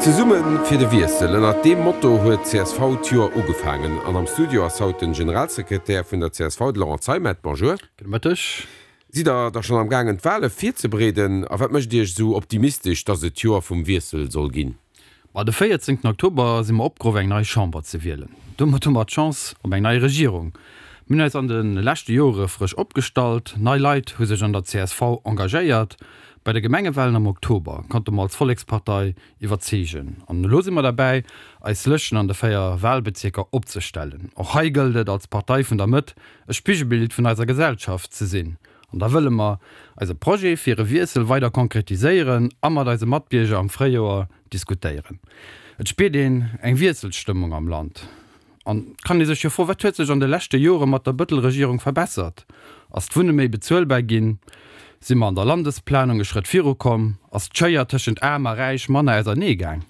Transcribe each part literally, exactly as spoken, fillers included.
Zesumme fir de Wiessel, ënnert deem Motto huet d'CSV d'Joer ugefaangen. An am Studio ass haut den Generalsekretär vun der csv, de Laurent Zeimet. Bonjour. Gudde Mëtteg. Sidd der da schonn am gaangen d'Wale virzebereeden? A wat mécht Iech esou optimistesch, datt et d'Joer vum Wiessel soll ginn? Ma de véierzéngten Oktober si mer opgeruff eng nei Chamber ze wielen. Domat hu mer d'Chance op eng nei Regierung. Mir hunn eis an de leschte Jore frësch opgestallt, nei Leit hu sech an der csv engagéiert. Bei de Gemengewalen am Oktober konnte mer als Vollekspartei iwwerzeegen. An elo si mer derbäi, eis Lëschten an de véier Walbezierker opzestellen. Och hei gëllt et, als Partei vun der Mëtt e Spigelbild vun eiser Gesellschaft ze sinn. An da wëlle mer eise Projet fir e Wiessel weider konkretiséieren a mat eise Matbierger am Fréijoer diskutéieren. Et spiert een eng Wiesselstëmmung am Land. An et kann ee sech jo froen, Wat huet sech an de leschte Jore mat der Bëttel-Regierung verbessert? Ass d'Wunne méi bezuelbar ginn? Si mer an der Landesplanung e Schrëtt virukomm? Ass d'Schéier tëschent Aarm a Räich manner ausernee gaang?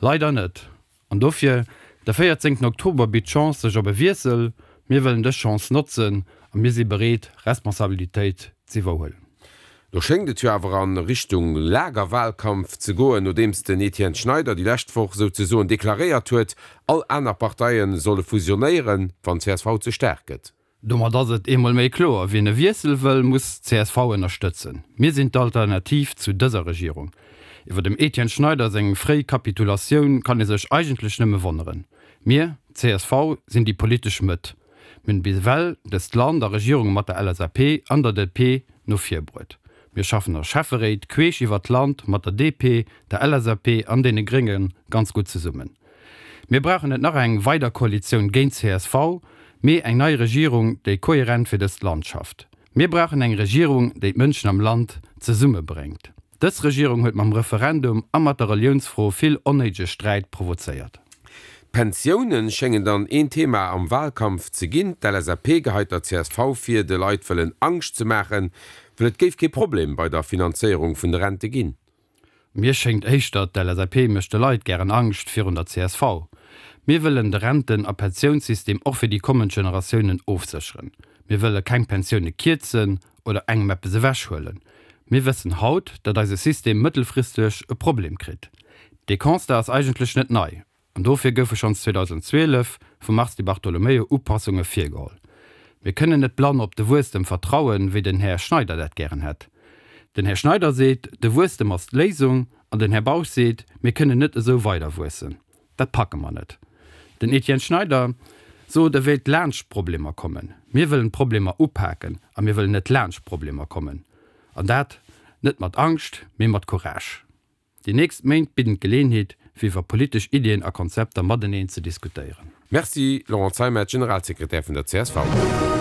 Leider net. An dofir, de véierzéngten Oktober bitt d'Chance sech op e Wiessel. Mir wëllen dës Chance notzen a mir si bereet, Responsabilitéit z'iwwerhuelen. Lo schéngt et jo awer a Richtung Lagerwahlkampf ze goen, nodeems den Etienne Schneider déi lescht Woch souzesoen deklaréiert huet, all aner Parteie solle fusionéieren, wann csv ze staark gëtt. Domat ass et eemol méi kloer, Wien e Wiessel wëll, muss csv ënnerstëtzen. Mir sinn d'Alternativ zu dëser Regierung. Iwwer dem Etienne Schneider seng fréi Kapitulatioun kann ee sech eigentlech nëmme wonneren. Mir, csv, sinn déi politesch Mëtt. Mir hunn bis ewell dëst Land a Regierunge mat der LSAP an der DP no vir bruet. Mir schaffen a Schäfferéit queesch iwwer d'Land mat der DP, der LSAP an deene Grénge ganz gutt zesummen. Mir brauchen net nach eng weider Koalitioun géint csv, mee eng nei Regierung, déi kohärent fir dëst Land schafft. Mir brauchen eng Regierung, déi d'Mënschen am Land zesummebréngt. Dës Regierung huet mam Referendum a mat der Reliounsfro vill onnéidege Sträit provozéiert. D'Pensiounen schéngen dann een Thema am Wahlkampf ze ginn. D'LSAP geheit der csv vir, de Leit wëllen Angscht ze maachen, well et géif kee Problem bei der Finanzéierung vun de Rente ginn. Mir schéngt éischter, d'LSAP mécht de Leit gären Angscht virun der csv. Mir wëllen de Renten a Pensiounssystem och fir déi kommend Generatiounen ofsécheren. Mir wëlle keng Pensioune kierzen oder engem eppes ewechhuelen. Mir wëssen haut, datt eise System mëttelfristeg e Problem kritt. Dee Constat ass eigentlech net nei. An dofir goufe schonns zweedausenzwielef vum Mars Di Bartolomeo Upassunge virgeholl. Mir kënnen net blann op de Wuesstem vertrauen, wéi den Här Schneider dat gären hätt. Den Här Schneider seet, de Wuesstem ass d'Léisung, an den Här Bausch seet, mir kënnen net esou weider wuessen. Dat packe mer net. Den Etienne Schneider sot, e wéilt laanscht d'Problemer kommen. Mir wëllen d'Problemer upaken a mir wëllen net laanscht d'Problemer kommen. An dat net mat Angscht, mee mat Courage. Déi nächst Méint bidden d'Geleeënheet, fir iwwer politesch Iddien a Konzepter mateneen ze diskutéieren. Merci Laurent Zeimet, Generalsekretär vun der csv.